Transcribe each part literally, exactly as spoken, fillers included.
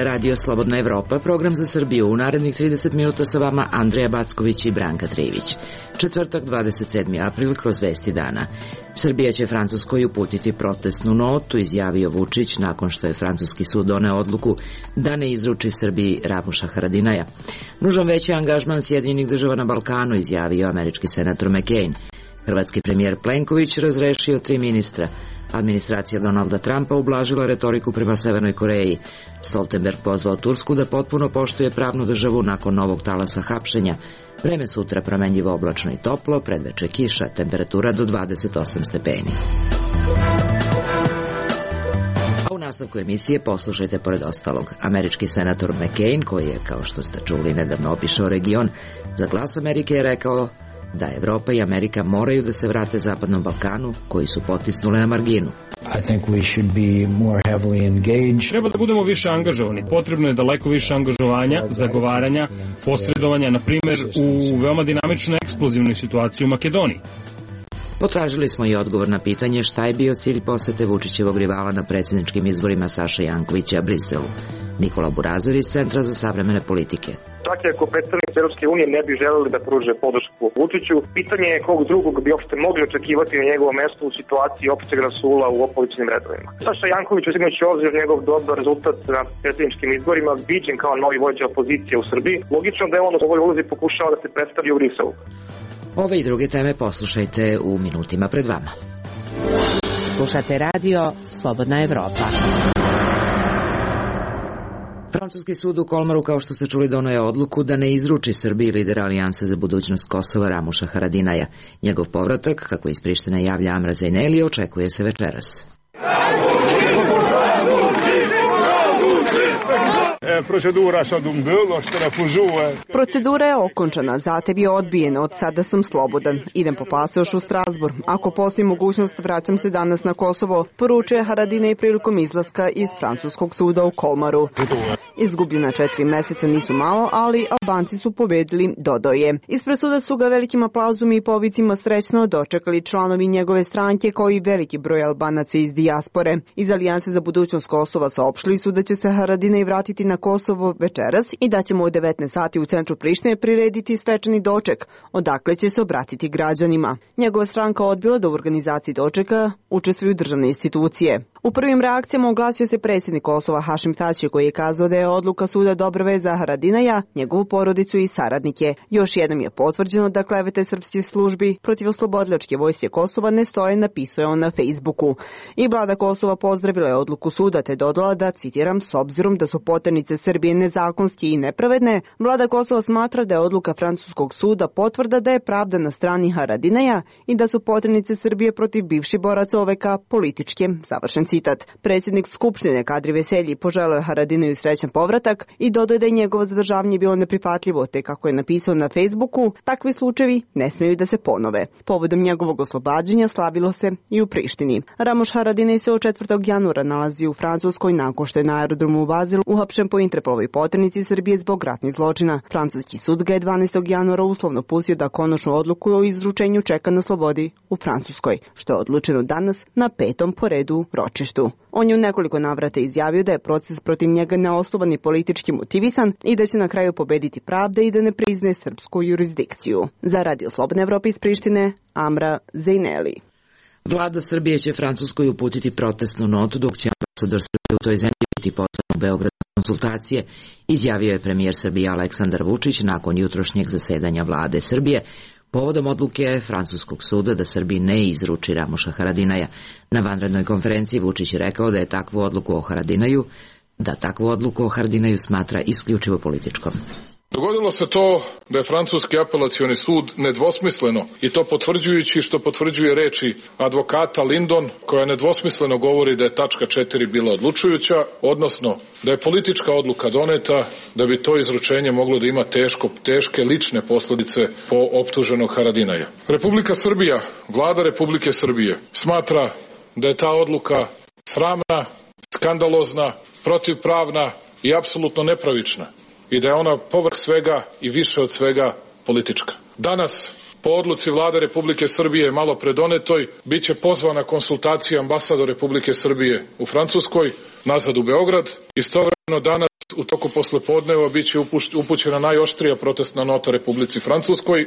je Radio Slobodna Evropa, program za Srbiju. U narednih trideset minuta sa vama Andreja Backović i Branka Trivić. Četvrtak, dvadeset sedmi april, kroz vesti dana. Srbija će Francuskoj uputiti protestnu notu, izjavio Vučić nakon što je francuski sud doneo odluku da ne izruči Srbiji Ramuša Haradinaja. Nužan veći angažman Sjedinjenih država na Balkanu, izjavio američki senator McCain. Hrvatski premijer Plenković razrešio tri ministra. Administracija Donalda Trumpa ublažila retoriku prema Severnoj Koreji. Stoltenberg pozvao Tursku da potpuno poštuje pravnu državu nakon novog talasa hapšenja. Vreme sutra promenljivo, oblačno i toplo, predveče kiša, temperatura do dvadeset osam stepeni. A u nastavku emisije poslušajte pored ostalog. Američki senator McCain, koji je, kao što ste čuli, nedavno obišao region, za Glas Amerike je rekao da Evropa i Amerika moraju da se vrate Zapadnom Balkanu, koji su potisnuli na marginu. I think we should be more heavily engaged. Treba da budemo više angažovani. Potrebno je daleko više angažovanja, zagovaranja, posredovanja, na primjer u veoma dinamičnoj eksplozivnoj situaciji u Makedoniji. Potražili smo i odgovor na pitanje šta je bio cilj posete Vučićevog rivala na predsjedničkim izborima Saše Jankovića Briselu. Nikola Burazer iz Centra za savremene politike. Čak i ako predstavnici Europske unije ne bi želeli da pruže podršku Vučiću, pitanje je kog drugog bi uopšte mogli očekivati na njegovo mesto u situaciji opšteg rasula u opozicionim redovima. Saša Janković, uzimajući obzir njegov dobar rezultat na predsjedničkim izborima, viđen kao novi vođa opozicije u Srbiji, logično da je on u ovoj ulozi pokušao da se predstavi u Briselu. Ove i druge teme poslušajte u minutima pred vama. Slušate radio Slobodna Evropa. Francuski sud u Kolmaru, kao što ste čuli, doneo je odluku da ne izruči Srbiji lidera Alijanse za budućnost Kosova Ramuša Haradinaja. Njegov povratak, kako iz Prištine javlja Amra Zejneli, očekuje se večeras. Procedura je okončana, zatev je odbijen, od sada sam slobodan. Idem po pasoš u Strasbourg. Ako postoji mogućnost, vraćam se danas na Kosovo, poručuje Haradinaj prilikom izlaska iz francuskog suda u Kolmaru. Izgubljena četiri meseca nisu malo, ali Albanci su pobedili, dodao je. Ispred suda su ga velikim aplauzom i povicima srećno dočekali članovi njegove stranke, kao i veliki broj Albanaca iz dijaspore. Iz Alijanse za budućnost Kosova saopštili su da će se Haradinaj vratiti na Kosovo večeras i da ćemo u devetnaest sati u centru Prištine prirediti svečani doček, odakle će se obratiti građanima. Njegova stranka odbila da u organizaciji dočeka učestvuju državne institucije. U prvim reakcijama oglasio se predsjednik Kosova Hašim Tači, koji je kazao da je odluka suda dobra vest za Haradinaja, njegovu porodicu i saradnike. Još jednom je potvrđeno da klevete srpskih službi protiv oslobodilačke vojske Kosova ne stoje, napisao je on na Facebooku. I vlada Kosova pozdravila je odluku suda te dodala da, citiram, s obzirom da su poternice Srbije nezakonski i nepravedne, vlada Kosova smatra da je odluka francuskog suda potvrda da je pravda na strani Haradinaja i da su poternice Srbije protiv bivših boraca O V K političke, završen citat. Predsjednik Skupštine Kadri Veselji poželeo je Haradinaju srećan povratak i dodao da je njegovo zadržavanje bilo neprihvatljivo, te kako je napisao na Facebooku, takvi slučajevi ne smeju da se ponove. Povodom njegovog oslobađanja slavilo se i u Prištini. Ramuš Haradinaj se od četvrtog januara nalazi u Francuskoj nakon što je na aerodromu u Bazilu uhapšen po Interpolovoj poternici Srbije zbog ratnih zločina. Francuski sud ga je dvanaestog januara uslovno pustio da konačnu odluku o izručenju čeka na slobodi u Francuskoj, što je odlučeno danas na petom po redu ročištu. On je u nekoliko navrata izjavio da je proces protiv njega neosnovan i politički motivisan i da će na kraju pobediti pravda i da ne priznaje srpsku jurisdikciju. Za Radio Slobodne Evrope iz Prištine, Amra Zejneli. Vlada Srbije će Francuskoj uputiti protestnu notu, dok će ambasador Srbije u toj zemlji biti pozvan u Beograd na konsultacije, izjavio je premijer Srbije Aleksandar Vučić nakon jutrošnjeg zasedanja vlade Srbije, povodom odluke francuskog suda da Srbiji ne izruči Ramuša Haradinaja. Na vanrednoj konferenciji Vučić je rekao da je takvu odluku o Haradinaju, da takvu odluku o Haradinaju smatra isključivo političkom. Dogodilo se to da je francuski apelacioni sud nedvosmisleno, i to potvrđujući što potvrđuje reči advokata Lindon, koja nedvosmisleno govori da je tačka četiri bila odlučujuća, odnosno da je politička odluka doneta da bi to izručenje moglo da ima teško, teške lične posljedice po optuženog Haradinaja. Republika Srbija, vlada Republike Srbije, smatra da je ta odluka sramna, skandalozna, protivpravna i apsolutno nepravična, i da je ona povrh svega i više od svega politička. Danas, po odluci vlade Republike Srbije malo predonetoj, bit će pozvana konsultacija ambasador Republike Srbije u Francuskoj, nazad u Beograd. Istovremeno danas u toku poslepodneva biće upućena najoštrija protestna nota Republici Francuskoj.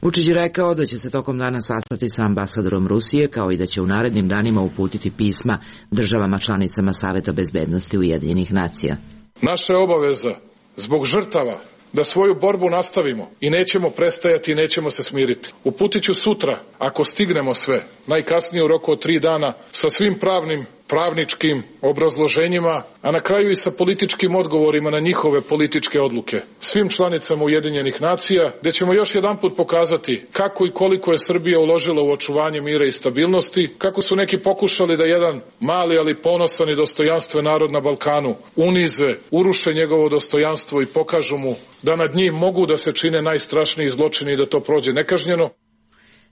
Vučić je rekao da će se tokom dana sastati sa ambasadorom Rusije, kao i da će u narednim danima uputiti pisma državama članicama Saveta bezbednosti Ujedinjenih nacija. Naša je obaveza zbog žrtava da svoju borbu nastavimo i nećemo prestajati i nećemo se smiriti. Uputit ću sutra, ako stignemo sve, najkasnije u roku od tri dana, sa svim pravnim, pravničkim obrazloženjima, a na kraju i sa političkim odgovorima na njihove političke odluke. Svim članicama Ujedinjenih nacija, gde ćemo još jedanput pokazati kako i koliko je Srbija uložila u očuvanje mira i stabilnosti, kako su neki pokušali da jedan mali ali ponosan i dostojanstven narod na Balkanu unize, uruše njegovo dostojanstvo i pokažu mu da nad njim mogu da se čine najstrašniji zločini i da to prođe nekažnjeno.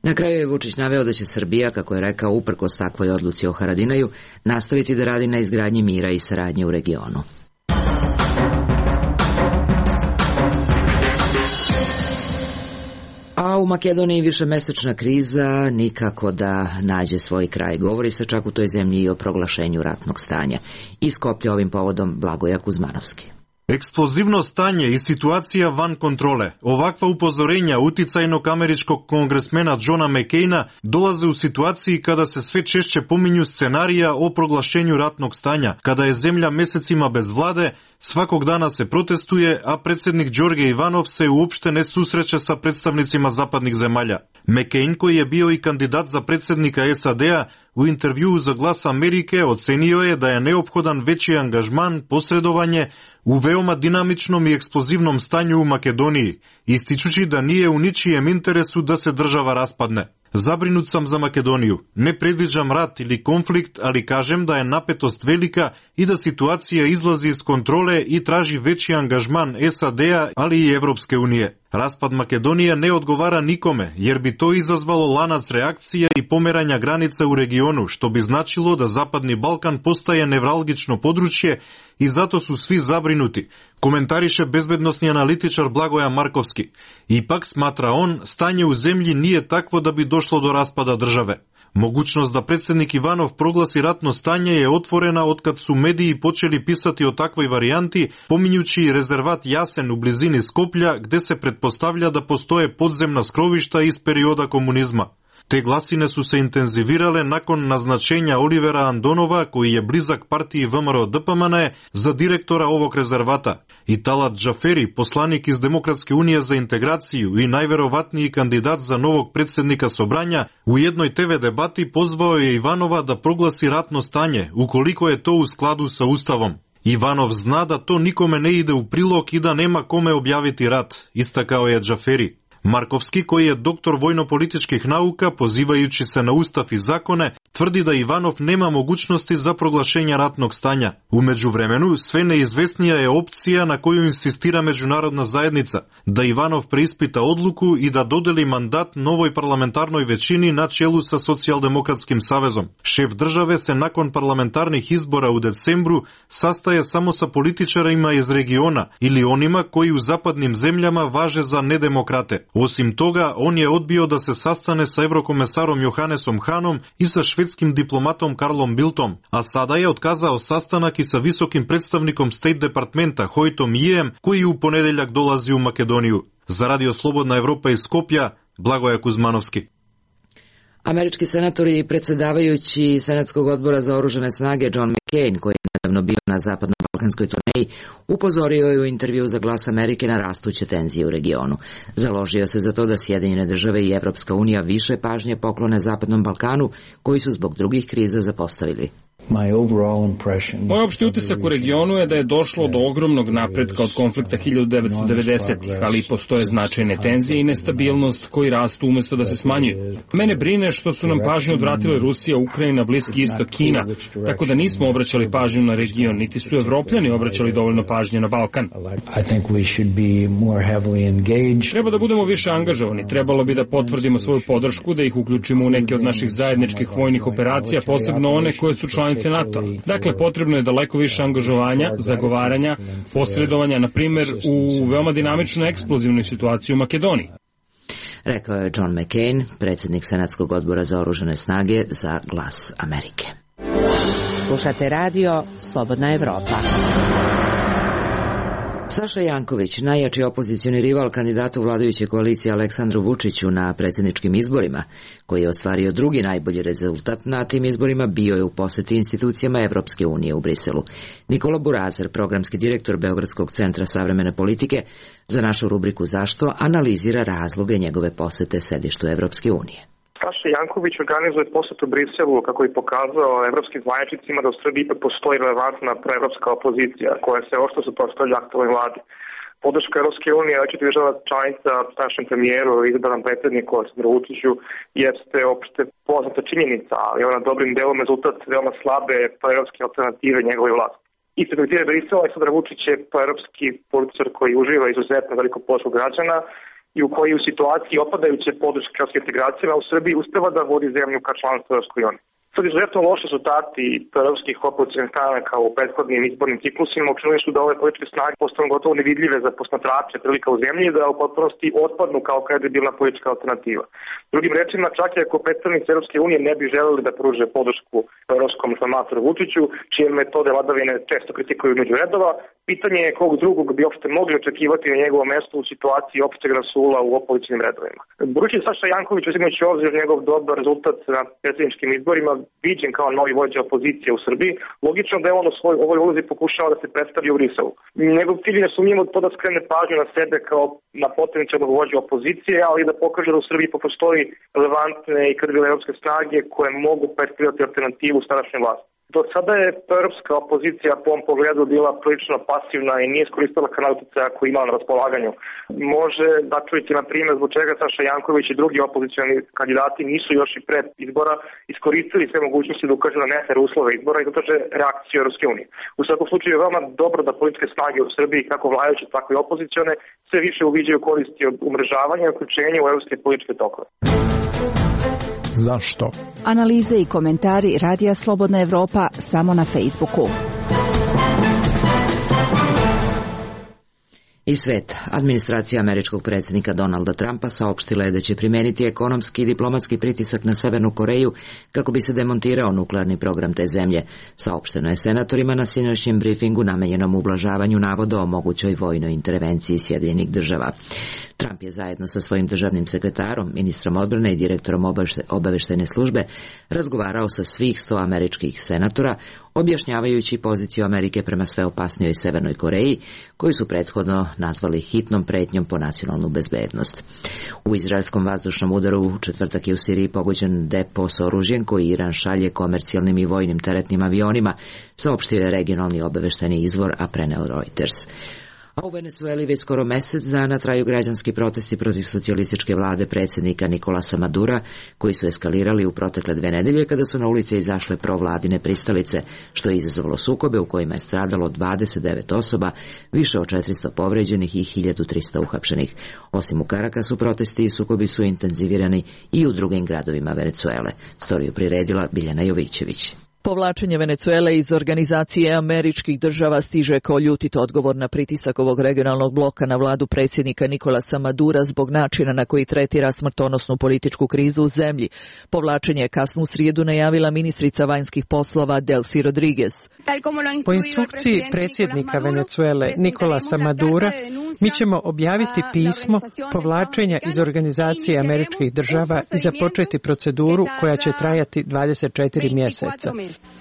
Na kraju je Vučić naveo da će Srbija, kako je rekao, uprkos takvoj odluci o Haradinaju, nastaviti da radi na izgradnji mira i saradnje u regionu. A u Makedoniji višemesečna kriza nikako da nađe svoj kraj. Govori se čak u toj zemlji i o proglašenju ratnog stanja. Iz Skoplja ovim povodom Blagoja Kuzmanovski. Експлозивно стање и ситуација ван контроле. Оваква упозорења утицајног америчког конгресмена Џона Мекејна долазе у ситуации када се све чешće помињу сценарија о проглашењу ратног стања, када е земја месецима без владе, сваког дана се протестуе, а председник Ѓорѓе Иванов се уопште не сусреće sa представницима западних земаља. Мекејн, кој е био и кандидат за председника Ес А Де-а, у интервјуу за Глас Америке оценио е да е неопходан веќи ангажман, посредување у веома динамичном и експлозивном стању у Македонiji, истичучи да nije у ничијем интересу да се држава распадне. Забринут сам за Македонију. Не предвиđам рат или конфликт, али кажем да е напетост велика и да ситуација излази из контроле и тражи веќи ангажман Ес А Де-а, али и Европске уније. Распад Македонија не одговара никоме, jer би тоа извазвало ланац реакција и померања граница у региону, што би значило да Западни Балкан постае невралгично подручје и зато су сви забринути, коментарише безбедносни аналитичар Благоја Марковски. Ипак, сматра он, стање у земји nije такво да би дошло до распада државе. Могучност да председник Иванов прогласи ратно стање е отворена откад су медии почели писати о таквој варијанти, помињучи резерват Јасен у близини Скопља, где се предпоставља да постое подземна скровишта из периода комунизма. Те гласине су се интензивирале након назначења Оливера Андонова, кој е близак партији Вэ Ем Ер О Д П М Н, за директора овог резервата. И Талат Џафери, посланик из Демократske унија за интеграцију и највероватнији кандидат за новог председника Собрања, у едној Те Ве дебати позвао е Иванова да прогласи ратно стање, уколико е то у складу со Уставом. Иванов зна да то никоме не иде у прилог и да нема коме објавити рат, истакао е Џафери. Марковски, кој е доктор војно-политичких наука, позивајучи се на Устав и законе, тврди да Иванов нема могучности за проглашење ратног стања. У меѓувремену, све неизвестнија е опција на која инсистира меѓународна заедница, да Иванов преиспита одлуку и да додели мандат новој парламентарној веćини на челу со Социјалдемократским савезом. Шеф државе се након парламентарних избора у децембру састаje само со политичарима из региона или онима кои у западним земљама важе за недемократе. Осим тога, он е одбио да се састане со еврокомесаром Јоханесом Ханом и со шведским дипломатом Карлом Билтом, а сада е отказао sastanak и со високим представником Стейт департмента Хојтом Јием, кој у понеделјак долази у Македонију. За Радио Слободна Европа из Скопја, Благоја Кузмановски. Američki senator i predsjedavajući Senatskog odbora za oružane snage John McCain, koji je nedavno bio na zapadno-balkanskoj turneji, upozorio je u intervju za Glas Amerike na rastuće tenzije u regionu. Založio se za to da Sjedinjene države i Evropska unija više pažnje poklone Zapadnom Balkanu, koji su zbog drugih kriza zapostavili. Moj opšti utisak u regionu je da je došlo do ogromnog napretka od konflikta hiljadu devetsto devedesetih, ali postoje značajne tenzije i nestabilnost koji rastu umesto da se smanjuju. Mene brine što su nam pažnju odvratile Rusija, Ukrajina, Bliski istok, Kina, tako da nismo obraćali pažnju na region, niti su Evropljani obraćali dovoljno pažnje na Balkan. Treba da budemo više angažovani, trebalo bi da potvrdimo svoju podršku, da ih uključimo u neke od naših zajedničkih vojnih operacija, posebno one koje su članice NATO. Dakle, potrebno je daleko više angažovanja, zagovaranja, posredovanja, na primjer, u veoma dinamičnoj eksplozivnoj situaciji u Makedoniji. Rekao je John McCain, predsjednik Senatskog odbora za oružane snage za Glas Amerike. Slušate radio Slobodna Evropa. Saša Janković, najjači opozicioni rival kandidatu vladajuće koalicije Aleksandru Vučiću na predsjedničkim izborima, koji je ostvario drugi najbolji rezultat na tim izborima, bio je u poseti institucijama Evropske unije u Briselu. Nikola Burazer, programski direktor Beogradskog centra savremene politike, za našu rubriku Zašto analizira razloge njegove posete sedištu Evropske unije. Saša Janković organizuje posetu Briselu kako je pokazao evropskim zvaničnicima da u Srbiji ipak postoji relevantna proevropska opozicija koja se oštro suprotstavlja aktualnoj vladi. Podrška Evropske unije već država članica našem premijeru i izabranom predsjedniku Aleksandru Vučiću jeste opšte poznata činjenica, ali ona dobrim delom rezultat veoma slabe proevropske alternative njegove vlasti. Isto kao je Brisela, Aleksandar Vučić je proevropski političar koji uživa izuzetno veliko podršku građana i u koji u situaciji opadajuće podrške evropske integracijama u Srbiji uspeva da vodi zemlju ka članstvu Evropskoj uniji. Sad izuzetno loši rezultati proevropskih opozicionih stranaka u prethodnim izbornim ciklusima učinili su da ove političke snage postanu gotovo nevidljive za posmatrače prilika u zemlji i da u potpunosti otpadnu kao kredibilna politička alternativa. Drugim rečima, čak i ako predstavnici Evropske unije ne bi želeli da pruže podršku evropskom reformatoru Vučiću, čije metode vladavine često kritikuju među redova, pitanje je kog drugog bi uopšte mogli očekivati na njegovom mestu u situaciji opšteg rasula u opozicionim redovima. Budući Saša Janković, uzimajući obzir njegov dobar rezultat na predsjedničkim izborima, viđen kao novi vođa opozicije u Srbiji, logično da je on u svoj ovoj ulozi pokušao da se predstavi u Briselu. Njegov cilj je nesumnjivo to da skrene pažnju na sebe kao na potencijalnog vođa opozicije, ali da pokaže da u Srbiji postoji relevantne i kredibilne evropske snage koje mogu predstavljati alternativu starašnjoj vlasti. Do sada je europska opozicija po ovom pogledu bila prilično pasivna i nije iskoristila kanal uticaja koji imala na raspolaganju. Može da čujete, na primjer, zbog čega Saša Janković i drugi opozicioni kandidati nisu još i pred izbora iskoristili sve mogućnosti da ukažu na nefer uslove izbora i da traže reakciju Evropske unije. U svakom slučaju je veoma dobro da političke snage u Srbiji, kako vladajuće, tako i opozicione, sve više uviđaju koristi od umrežavanja i uključenja u evropske političke tokove. Zašto? Analize i komentari Radija Slobodna Evropa samo na Facebooku. I svet. Administracija američkog predsjednika Donalda Trumpa saopštila je da će primeniti ekonomski i diplomatski pritisak na Severnu Koreju kako bi se demontirao nuklearni program te zemlje. Saopšteno je senatorima na sinoćnjem brifingu namenjenom ublažavanju navoda o mogućoj vojnoj intervenciji Sjedinjenih država. Trump je zajedno sa svojim državnim sekretarom, ministrom odbrane i direktorom obaveštajne službe razgovarao sa svih sto američkih senatora, objašnjavajući poziciju Amerike prema sve opasnijoj Severnoj Koreji, koju su prethodno nazvali hitnom pretnjom po nacionalnu bezbednost. U izraelskom vazdušnom udaru u četvrtak je u Siriji pogođen depo s oružjem koji Iran šalje komercijalnim i vojnim teretnim avionima, saopštio je regionalni obaveštajni izvor, a preneo Reuters. A u Venecueli već skoro mesec dana traju građanski protesti protiv socijalističke vlade predsjednika Nikolasa Madura, koji su eskalirali u protekle dve nedelje kada su na ulice izašle provladine pristalice, što je izazvalo sukobe u kojima je stradalo dvadeset devet osoba, više od četiristo povređenih i hiljadu trista uhapšenih. Osim u Karakasu, protesti i sukobi su intenzivirani i u drugim gradovima Venecuele. Storiju priredila Biljana Jovićević. Povlačenje Venecuele iz Organizacije američkih država stiže kao ljutit odgovor na pritisak ovog regionalnog bloka na vladu predsjednika Nikolasa Madura zbog načina na koji tretira smrtonosnu političku krizu u zemlji. Povlačenje je kasno u srijedu najavila ministrica vanjskih poslova Delcy Rodriguez. Po instrukciji predsjednika Venecuele Nikolasa Madura, mi ćemo objaviti pismo povlačenja iz Organizacije američkih država i započeti proceduru koja će trajati dvadeset četiri mjeseca.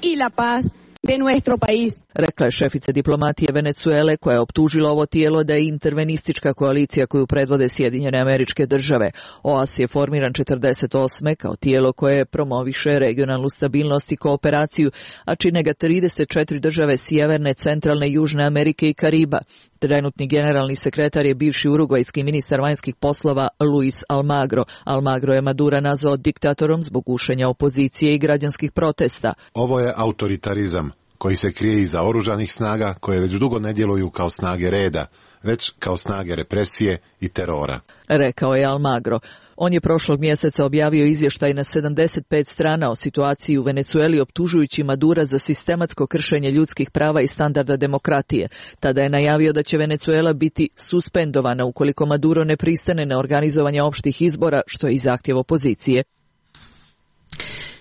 Y la paz de nuestro país. Rekla je šefica diplomatije Venecuele, koja je optužila ovo tijelo da je intervenistička koalicija koju predvode Sjedinjene Američke Države. O A S je formiran četrdeset osme kao tijelo koje promoviše regionalnu stabilnost i kooperaciju, a čine ga trideset četiri države Sjeverne, Centralne i Južne Amerike i Kariba. Trenutni generalni sekretar je bivši urugvajski ministar vanjskih poslova Luis Almagro. Almagro je Madura nazvao diktatorom zbog gušenja opozicije i građanskih protesta. Ovo je autoritarizam koji se krije iza oružanih snaga koje već dugo ne djeluju kao snage reda, već kao snage represije i terora, rekao je Almagro. On je prošlog mjeseca objavio izvještaj na sedamdeset pet strana o situaciji u Venecueli, optužujući Madura za sistematsko kršenje ljudskih prava i standarda demokratije. Tada je najavio da će Venecuela biti suspendovana ukoliko Maduro ne pristane na organizovanje opštih izbora, što je i zahtjev opozicije.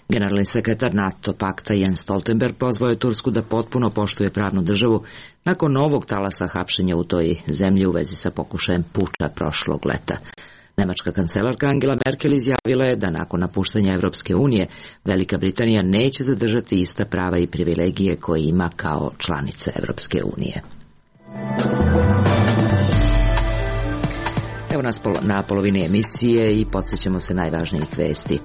Generalni sekretar NATO pakta Jens Stoltenberg pozvao je Tursku da potpuno poštuje pravnu državu nakon novog talasa hapšenja u toj zemlji u vezi sa pokušajem puča prošlog leta. Nemačka kancelarka Angela Merkel izjavila je da nakon napuštanja Evropske unije Velika Britanija neće zadržati ista prava i privilegije koje ima kao članica Evropske unije. Evo nas na polovini emisije i podsjećamo se najvažnijih vesti.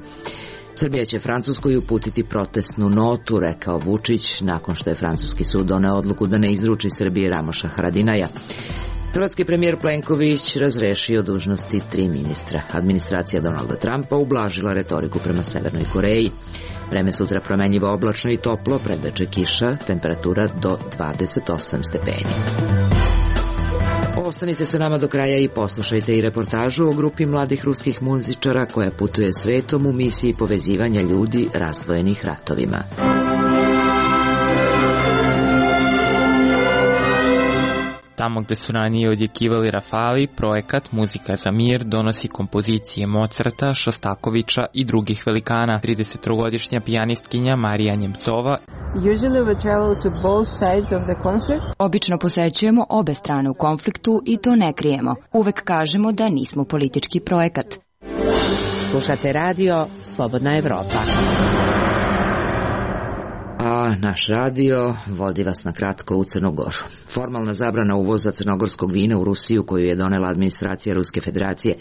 Srbija će Francuskoj uputiti protestnu notu, rekao Vučić, nakon što je francuski sud doneo odluku da ne izruči Srbiji Ramoša Haradinaja. Hrvatski premijer Plenković razrešio dužnosti tri ministra. Administracija Donalda Trumpa ublažila retoriku prema Severnoj Koreji. Vreme sutra promenljivo oblačno i toplo, predveče kiša, temperatura do dvadeset osam stepeni. Ostanite sa nama do kraja i poslušajte i reportažu o grupi mladih ruskih muzičara koja putuje svetom u misiji povezivanja ljudi razdvojenih ratovima. Tamo gde su ranije odjekivali Rafali, projekat Muzika za mir donosi kompozicije Mozarta, Šostakovića i drugih velikana. tridesettrogodišnja pijanistkinja Marija Njemcova Obično posećujemo obe strane u konfliktu i to ne krijemo. Uvek kažemo da nismo politički projekat. Slušate radio Slobodna Evropa. A naš radio vodi vas na kratko u Crnu Goru. Formalna zabrana uvoza crnogorskog vina u Rusiju koju je donela administracija Ruske federacije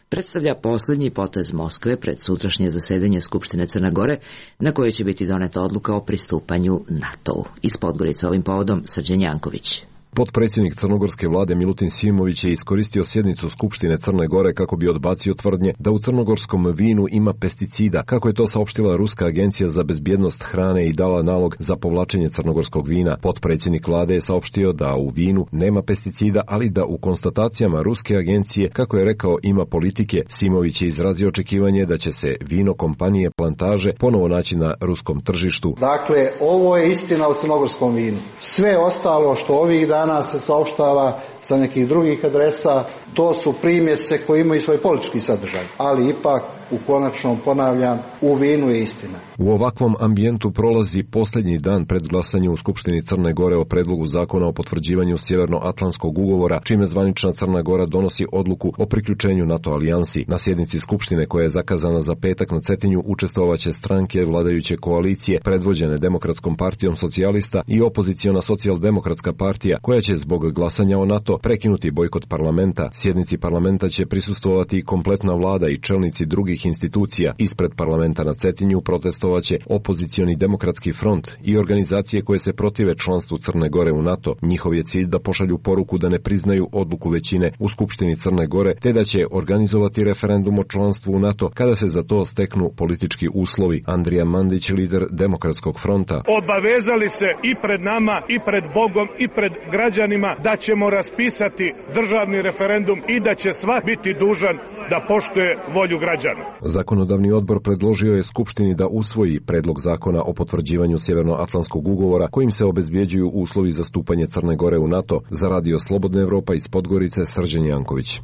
predstavlja posljednji potez Moskve pred sutrašnje zasedanje Skupštine Crne Gore na kojoj će biti doneta odluka o pristupanju NATO-u. Iz Podgorice ovim povodom Srđan Janković. Potpredsjednik crnogorske vlade Milutin Simović je iskoristio sjednicu Skupštine Crne Gore kako bi odbacio tvrdnje da u crnogorskom vinu ima pesticida, kako je to saopštila Ruska agencija za bezbjednost hrane i dala nalog za povlačenje crnogorskog vina. Potpredsjednik vlade je saopštio da u vinu nema pesticida, ali da u konstatacijama Ruske agencije, kako je rekao, ima politike. Simović je izrazio očekivanje da će se vino kompanije Plantaže ponovo naći na ruskom tržištu. Dakle, ovo je istina o crnogorskom vinu. Sve ostalo što ovih dana danas se saopštava sa nekih drugih adresa, to su primjese koji imaju svoj politički sadržaj, ali ipak u konačnom, ponavljam, u vinu je istina. U ovakvom ambijentu prolazi posljednji dan pred glasanjem u Skupštini Crne Gore o predlogu zakona o potvrđivanju Sjevernoatlantskog ugovora, čime zvanična Crna Gora donosi odluku o priključenju NATO alijansi. Na sjednici Skupštine koja je zakazana za petak na Cetinju učestvovaće stranke vladajuće koalicije predvođene Demokratskom partijom socijalista i opoziciona socijaldemokratska partija koja će zbog glasanja o NATO prekinuti bojkot parlamenta. Sjednici parlamenta će prisustvovati i kompletna vlada i čelnici drugih institucija. Ispred parlamenta na Cetinju protestovaće opozicioni demokratski front i organizacije koje se protive članstvu Crne Gore u NATO. Njihov je cilj da pošalju poruku da ne priznaju odluku većine u Skupštini Crne Gore, te da će organizovati referendum o članstvu u NATO kada se za to steknu politički uslovi. Andrija Mandić, lider Demokratskog fronta. Obavezali se i pred nama, i pred Bogom, i pred građanima da ćemo raspisati državni referendum i da će svak biti dužan da poštuje volju građana. Zakonodavni odbor predložio je Skupštini da usvoji predlog zakona o potvrđivanju Sjevernoatlantskog ugovora kojim se obezbjeđuju uslovi za stupanje Crne Gore u NATO. Za radio Slobodna Evropa iz Podgorice, Srđan Janković.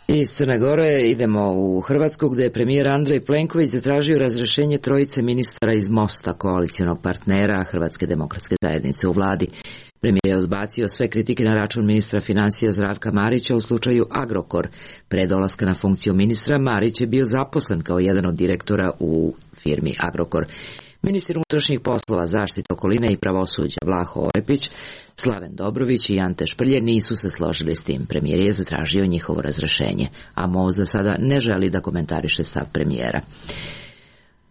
Iz Crne Gore idemo u Hrvatsku gdje je premijer Andrej Plenković zatražio razrješenje trojice ministara iz Mosta, koalicionog partnera Hrvatske demokratske zajednice u vladi. Premijer je odbacio sve kritike na račun ministra financija Zdravka Marića u slučaju Agrokor. Pre dolaska na funkciju ministra Marić je bio zaposlen kao jedan od direktora u firmi Agrokor. Ministri unutrašnjih poslova, zaštite okoline i pravosuđa Vlaho Orepić, Slaven Dobrović i Ante Šprlje nisu se složili s tim. Premijer je zatražio njihovo razrješenje, a M O za sada ne želi da komentariše stav premijera.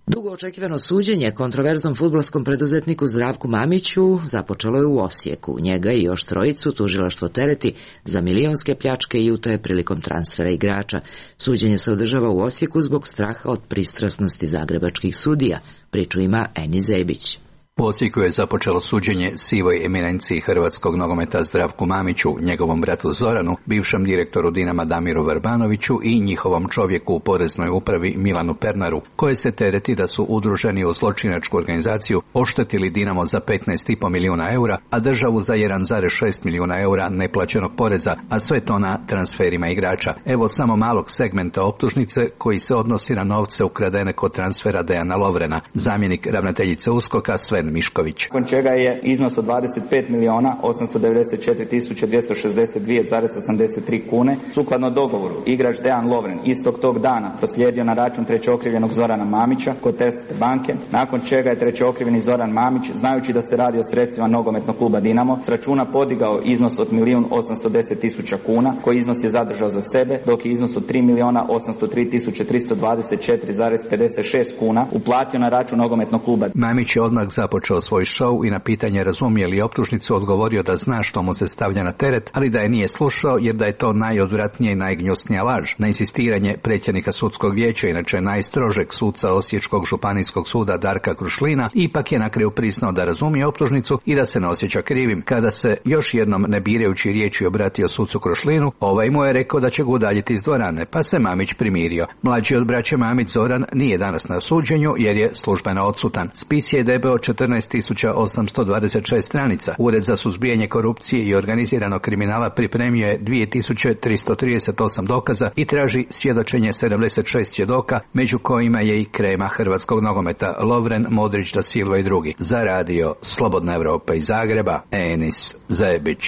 Dugo očekivano suđenje kontroverznom fudbalskom preduzetniku Zdravku Mamiću započelo je u Osijeku. Njega i još trojicu tužilaštvo tereti za milionske pljačke i utaje prilikom transfera igrača. Suđenje se održava u Osijeku zbog straha od pristrasnosti zagrebačkih sudija. Priču ima Eni Zebić. U Osijeku je započelo suđenje sivoj eminenciji hrvatskog nogometa Zdravku Mamiću, njegovom bratu Zoranu, bivšem direktoru Dinama Damiru Vrbanoviću i njihovom čovjeku u poreznoj upravi Milanu Pernaru, koje se tereti da su udruženi u zločinačku organizaciju oštetili Dinamo za petnaest i po milijuna eura, a državu za jedan zarez šest milijuna eura neplaćenog poreza, a sve to na transferima igrača. Evo samo malog segmenta optužnice koji se odnosi na novce ukradene kod transfera Dejana Lovrena. Zamjenik ravnateljice USKOK-a Sven Mišković. Nakon čega je iznos od dvadeset pet milijuna osamsto devedeset četiri tisuće dvjesto šezdeset dva zarez osamdeset tri kune sukladno dogovoru igrač Dejan Lovren istog tog dana proslijedio na račun trećookrivljenog Zorana Mamića kod Erste banke, nakon čega je trećookrivljeni Zoran Mamić, znajući da se radi o sredstvima nogometnog kluba Dinamo, s računa podigao iznos od milijun osamsto deset tisuća kuna, koji iznos je zadržao za sebe, dok je iznos od tri milijuna osamsto tri tisuće tristo dvadeset četiri zarez pedeset šest kuna uplatio na račun nogometnog kluba. Mamić je odmah započeo svoj šou i na pitanje razumije li optužnicu odgovorio da zna što mu se stavlja na teret, ali da je nije slušao jer da je to najodvratnija i najgnjusnija laž. Na insistiranje predsjednika sudskog vijeća, inače najstrožeg suca Osječkog županijskog suda Darka Krušlina, ipak je na kraju priznao da razumije optužnicu i da se ne osjeća krivim. Kada se još jednom ne birajući riječi obratio sucu Krušlinu, ovaj mu je rekao da će ga udaljiti iz dvorane, pa se Mamić primirio. Mlađi od braće Mamić Zoran nije danas na suđenju jer je službeno odsutan. Spis je debeo četrnaest tisuća osamsto dvadeset šest stranica. Ured za suzbijanje korupcije i organiziranog kriminala pripremio je dvije tisuće tristo trideset osam dokaza i traži svjedočenje sedamdeset šest svjedoka, među kojima je i krema hrvatskog nogometa Lovren, Modrić, Da Silva i drugi. Za radio Slobodna Evropa iz Zagreba, Enis Zebić.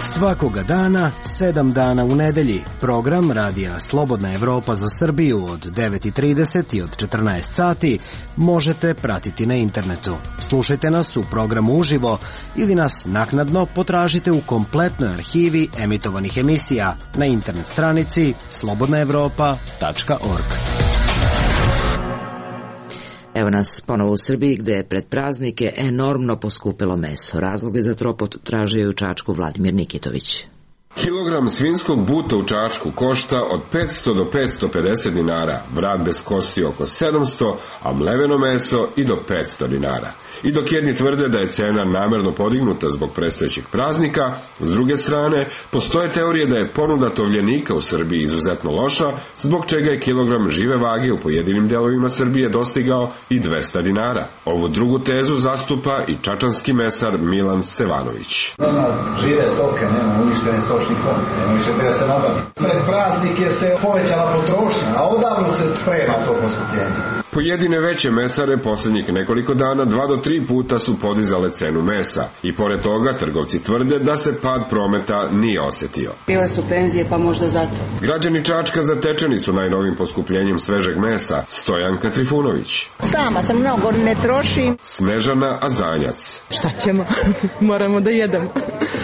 Svakoga dana, sedam dana u nedelji, program radija Slobodna Evropa za Srbiju od devet i trideset i od četrnaest sati možete pratiti na internetu. Slušajte nas u programu uživo ili nas naknadno potražite u kompletnoj arhivi emitovanih emisija na internet stranici slobodna evropa tačka org. Evo nas ponovo u Srbiji gde je pred praznike enormno poskupilo meso. Razloge za to potražuje u Čačku Vladimir Nikitović. Kilogram svinjskog buta u Čačku košta od petsto do petsto pedeset dinara, vrat bez kosti oko sedamsto, a mleveno meso i do petsto dinara. I dok jedni tvrde da je cena namerno podignuta zbog predstojećih praznika, s druge strane, postoje teorije da je ponuda tovljenika u Srbiji izuzetno loša, zbog čega je kilogram žive vage u pojedinim delovima Srbije dostigao i dvesta dinara. Ovu drugu tezu zastupa i čačanski mesar Milan Stevanović. Nema žive stoke, nema uništene stočni fond, nema više gde da se nabavi. Pred praznike se povećala potrošnja, a odavno se sprema to poskupljenje. Pojedine veće mesare posljednjih nekoliko dana dva do tri puta su podizale cenu mesa i pored toga trgovci tvrde da se pad prometa nije osjetio. Bile su penzije pa možda zato. Građani Čačka zatečeni su najnovim poskupljenjem svežeg mesa. Stojanka Trifunović. Sama sam mnogo ne trošim. Snežana Azanjac. Šta ćemo? Moramo da jedemo.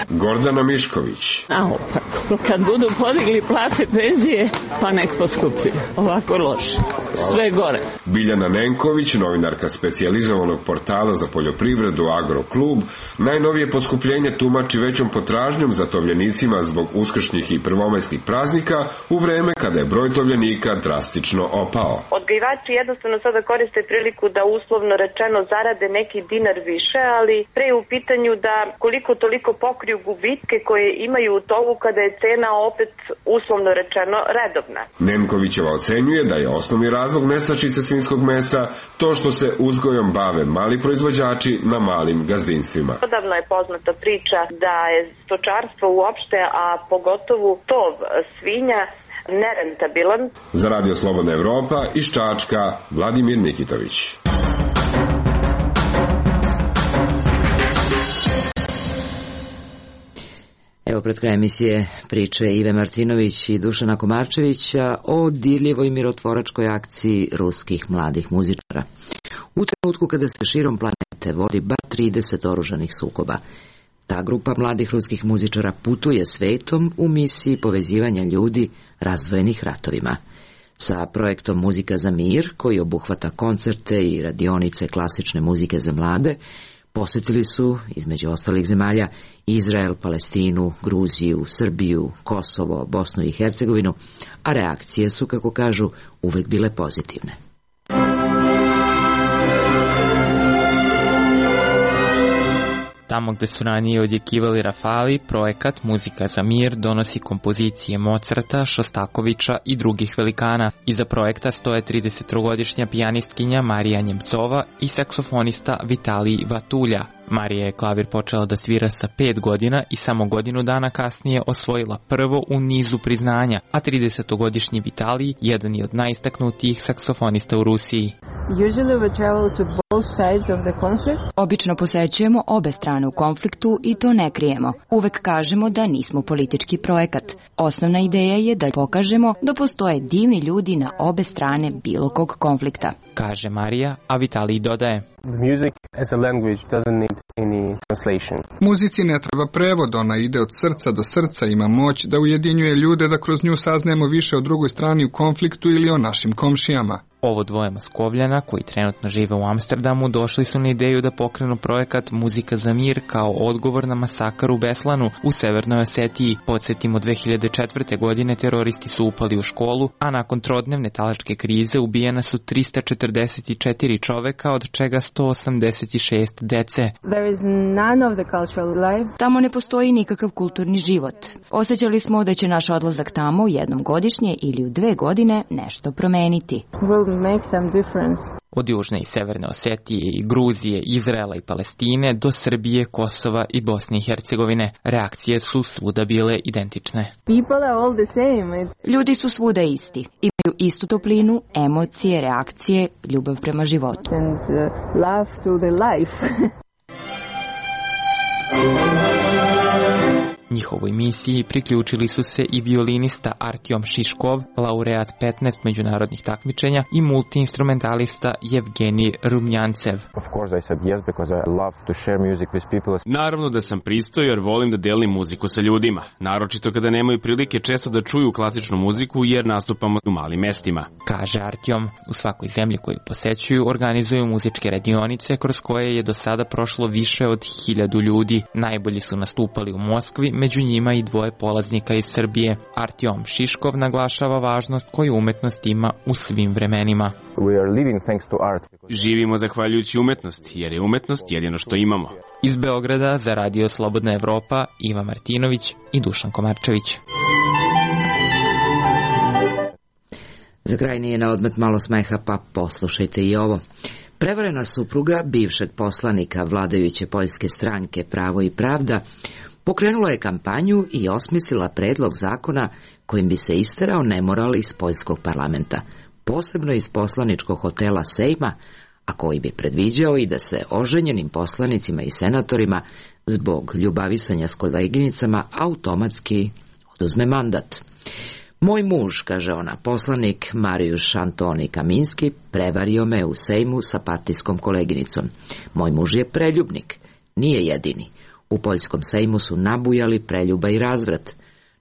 Gordana Mišković. A opak, kad budu podigli plate penzije, pa nek poskupljuju. Ovako loše. Sve gore. Biljana Nenković, novinarka specijalizovanog portala za poljoprivredu Agroklub, najnovije poskupljenje tumači većom potražnjom za tovljenicima zbog uskršnjih i prvomajskih praznika u vreme kada je broj tovljenika drastično opao. Odgajivači jednostavno sada koriste priliku da uslovno rečeno zarade neki dinar više, ali pre je u pitanju da koliko toliko pokriju gubitke koje imaju u tovu kada je cena opet uslovno rečeno redovna. Nenkovićeva ocenjuje da je osnovni razlog nestašice svinjskog mesa to što se uzgojom bave mali proizvođači na malim gazdinstvima. Odavno je poznata priča da je stočarstvo uopšte, a pogotovo tov svinja, nerentabilan. Za Radio Slobodna Evropa iz Čačka, Vladimir Nikitović. Evo pred krajem emisije priče Ive Martinović i Dušana Komarčevića o dirljivoj mirotvoračkoj akciji ruskih mladih muzičara. U trenutku kada se širom planete vodi bar trideset oružanih sukoba, ta grupa mladih ruskih muzičara putuje svetom u misiji povezivanja ljudi razdvojenih ratovima. Sa projektom Muzika za mir, koji obuhvata koncerte i radionice klasične muzike za mlade, posetili su, između ostalih zemalja, Izrael, Palestinu, Gruziju, Srbiju, Kosovo, Bosnu i Hercegovinu, a reakcije su, kako kažu, uvek bile pozitivne. Tamo gde su ranije odjekivali rafali, projekat Muzika za mir donosi kompozicije Mozarta, Šostakovića i drugih velikana. Iza projekta stoje tridesettrogodišnja pijanistkinja Marija Njemcova i saksofonista Vitalij Vatulja. Marija je klavir počela da svira sa pet godina i samo godinu dana kasnije osvojila prvo u nizu priznanja, a tridesetogodišnji Vitalij jedan je od najistaknutijih saksofonista u Rusiji. Obično posećujemo obe strane u konfliktu i to ne krijemo. Uvek kažemo da nismo politički projekat. Osnovna ideja je da pokažemo da postoje divni ljudi na obe strane bilo kog konflikta, kaže Marija, a Vitalij dodaje: Muzici ne treba prevod, ona ide od srca do srca, ima moć da ujedinjuje ljude, da kroz nju saznajemo više o drugoj strani u konfliktu ili o našim komšijama. Ovo dvoje Moskovljana, koji trenutno žive u Amsterdamu, došli su na ideju da pokrenu projekat Muzika za mir kao odgovor na masakar u Beslanu u Severnoj Osetiji. Podsjetimo, dve hiljade četvrte. godine teroristi su upali u školu, a nakon trodnevne talačke krize ubijena su trista četrdeset četiri čoveka, od čega sto osamdeset šest dece. Tamo ne postoji nikakav kulturni život. Osjećali smo da će naš odlazak tamo jednom godišnje ili u dve godine nešto promeniti. Make some difference. Od Južne i Severne Osetije i Gruzije, Izraela i Palestine do Srbije, Kosova i Bosne i Hercegovine. Reakcije su svuda bile identične. Ljudi su svuda isti. Imaju istu toplinu, emocije, reakcije, ljubav prema životu. And, uh, love to the life. Njihovoj misiji priključili su se i violinista Artyom Šiškov, laureat petnaest međunarodnih takmičenja, i multiinstrumentalista Evgenij Rumjancev. Naravno da sam pristao jer volim da delim muziku sa ljudima, naročito kada nemaju prilike često da čuju klasičnu muziku jer nastupamo u malim mestima, kaže Artyom. U svakoj zemlji koju posećuju organizuju muzičke radionice kroz koje je do sada prošlo više od hiljadu ljudi. Najbolji su nastupali u Moskvi, među njima i dvoje polaznika iz Srbije. Artyom Šiškov naglašava važnost koju umetnost ima u svim vremenima. Živimo zahvaljujući umetnosti, jer je umetnost jedino što imamo. Iz Beograda za Radio Slobodna Evropa, Iva Martinović i Dušan Komarčević. Za kraj nije na odmet malo smeha, pa poslušajte i ovo. Prevarena supruga bivšeg poslanika vladajuće poljske stranke Pravo i pravda pokrenula je kampanju i osmislila predlog zakona kojim bi se isterao nemoral iz poljskog parlamenta, posebno iz poslaničkog hotela Sejma, a koji bi predviđao i da se oženjenim poslanicima i senatorima zbog ljubavisanja s koleginicama automatski oduzme mandat. Moj muž, kaže ona, poslanik Marijuš Antoni Kaminski, prevario me u Sejmu sa partijskom koleginicom. Moj muž je preljubnik, nije jedini. U poljskom Sejmu su nabujali preljuba i razvrat.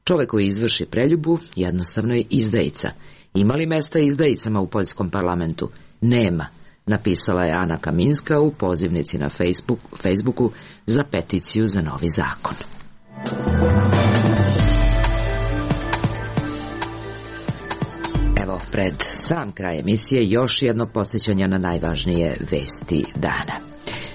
Čovek koji izvrši preljubu jednostavno je izdajica. Ima li mesta izdajicama u poljskom parlamentu? Nema, napisala je Ana Kaminska u pozivnici na Facebook, Facebooku za peticiju za novi zakon. Evo, pred sam kraj emisije još jednog podsjećanja na najvažnije vesti dana.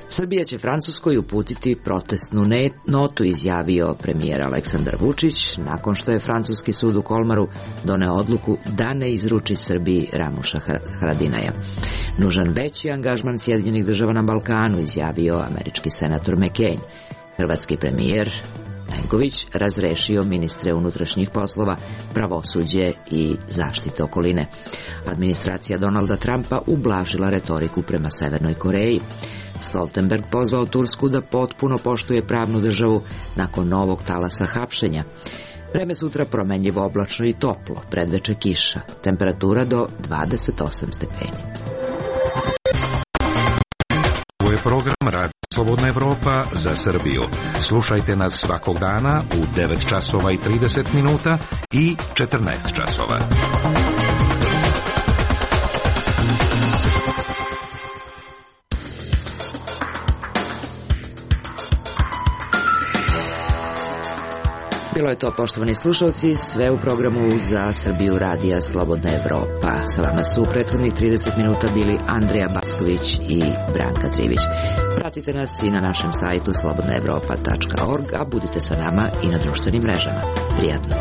Srbija će Francuskoj uputiti protestnu notu, izjavio premijer Aleksandar Vučić, nakon što je francuski sud u Kolmaru doneo odluku da ne izruči Srbiji Ramuša Haradinaja. Nužan veći angažman Sjedinjenih država na Balkanu, izjavio američki senator McCain. Hrvatski premijer Plenković razrešio ministre unutrašnjih poslova, pravosuđe i zaštite okoline. Administracija Donalda Trumpa ublažila retoriku prema Severnoj Koreji. Stoltenberg pozvao Tursku da potpuno poštuje pravnu državu nakon novog talasa hapšenja. Vreme sutra promenljivo, oblačno i toplo, predveče kiša, temperatura do dvadeset osam stepeni. Ovo je program Radio Slobodna Evropa za Srbiju. Slušajte nas svakog dana u devet časova i trideset minuta i četrnaest časova. Bilo je to, poštovani slušalci, sve u programu za Srbiju radija Slobodna Evropa. Sa vama su u prethodnih trideset minuta bili Andrija Backović i Branka Trivić. Pratite nas i na našem sajtu slobodna evropa tačka org, a budite sa nama i na društvenim mrežama. Prijatno!